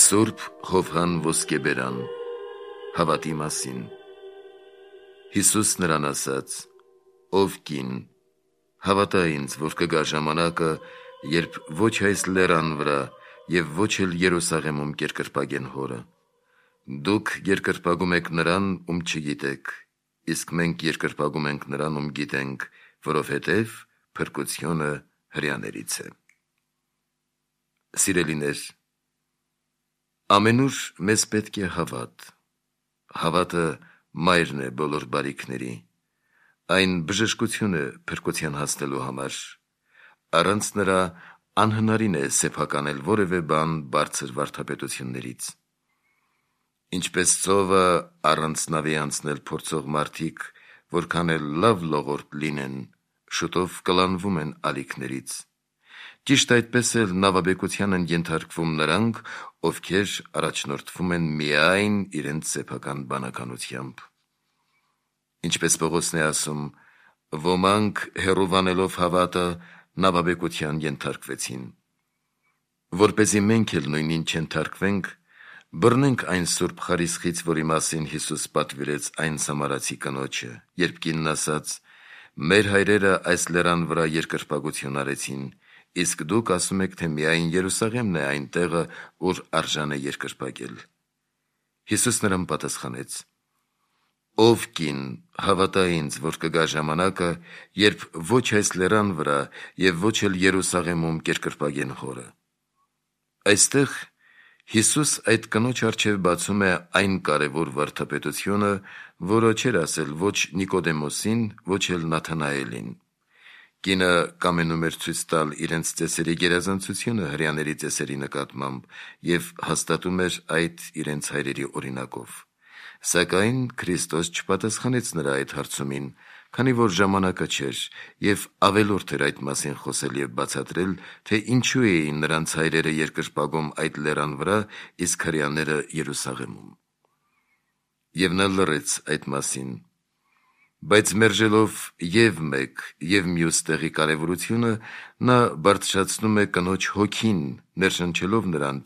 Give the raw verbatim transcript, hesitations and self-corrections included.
Սուրբ Ղովղան ոսկեբերան հավատի մասին։ Հիսուս նրան ասաց. «Ով կին, հավատա ինձ, որ կգա ժամանակը, երբ ոչ այս լեռան վրա և ոչ էլ Երուսաղեմում կերկրպագեն հորը։ Դուք երկրպագում եք նրան, ում չգիտեք, իսկ մենք երկրպագում ենք նրան, ում գիտենք, որովհետև փրկությունը հրեաներից է»։ Սիրելիներ, ամենուր մեզ պետք է հավատ։ Հավատը մայրն է բոլոր բարիքների, այն բժշկություն է փրկության հասնելու համար։ Առանց նրա անհնարին է սեփականել որևէ բան բարձր վարդապետություններից։ Ինչպես ծովը առանց նավի անցնել փորձող մարդիկ, որքան էլ լավ լողորդ լինեն, շուտով կլանվում են ալիքներից, ճիշտ այդպես էլ նավաբեկության են ենթարկվում նրանք, ովքեր առաջնորդվում են միայն իրենց սեփական բանականությամբ։ Ինչպես Պողոսն է ասում, ոմանք հեռուվանելով հավատը նավաբեկության ենթարկվեցին։ Որպեսզի մենք էլ նույնին չենթարկվենք, բռնենք այն սուրբ խարիսխից, որի մասին Հիսուս պատվիրեց այն սամարացի կնոջը, երբ կինն ասաց. «Մեր հայրերը այս լեռան վրա երկրպագություն արեցին, իսկ դուք ասում եք, թե միայն Երուսաղեմն է այն տեղը, ուր արժան է երկրպագել»։ Հիսուս նրան պատասխանեց. «Ով կին, հավատա ինձ, որ կգա ժամանակը, երբ ոչ այս լեռան վրա և ոչ էլ Երուսաղեմում կերկրպագեն հորը»։ Այստեղ Հիսուս այդ կնոջ առջև բացում է այն կարևոր վարդապետությունը, որը չէր ասել ոչ Նիկոդեմոսին, ոչ էլ Նաթանայելին։ Կինը կամենում էր ցույց տալ իրենց ծեսերի գերազանցությունը հրեաների ծեսերի նկատմամբ և հաստատում էր այդ իրենց հայրերի օրինակով։ Սակայն Քրիստոս չպատասխանեց նրա այդ հարցումին, քանի որ ժամանակը չէր, և ավելորդ էր այդ մասին խոսել և բացատրել, թե ինչու էին նրանց հայրերը երկրպագում այդ լեռան վրա, իսկ հրեաները Երուսաղեմում։ Եվ նա լռեց այդ մասին։ Բայց մերժելով և մեկ, և մյուս տեղի կարևորությունը, նա բարձրացնում է կնոջ հոգին, ներշնչելով նրան,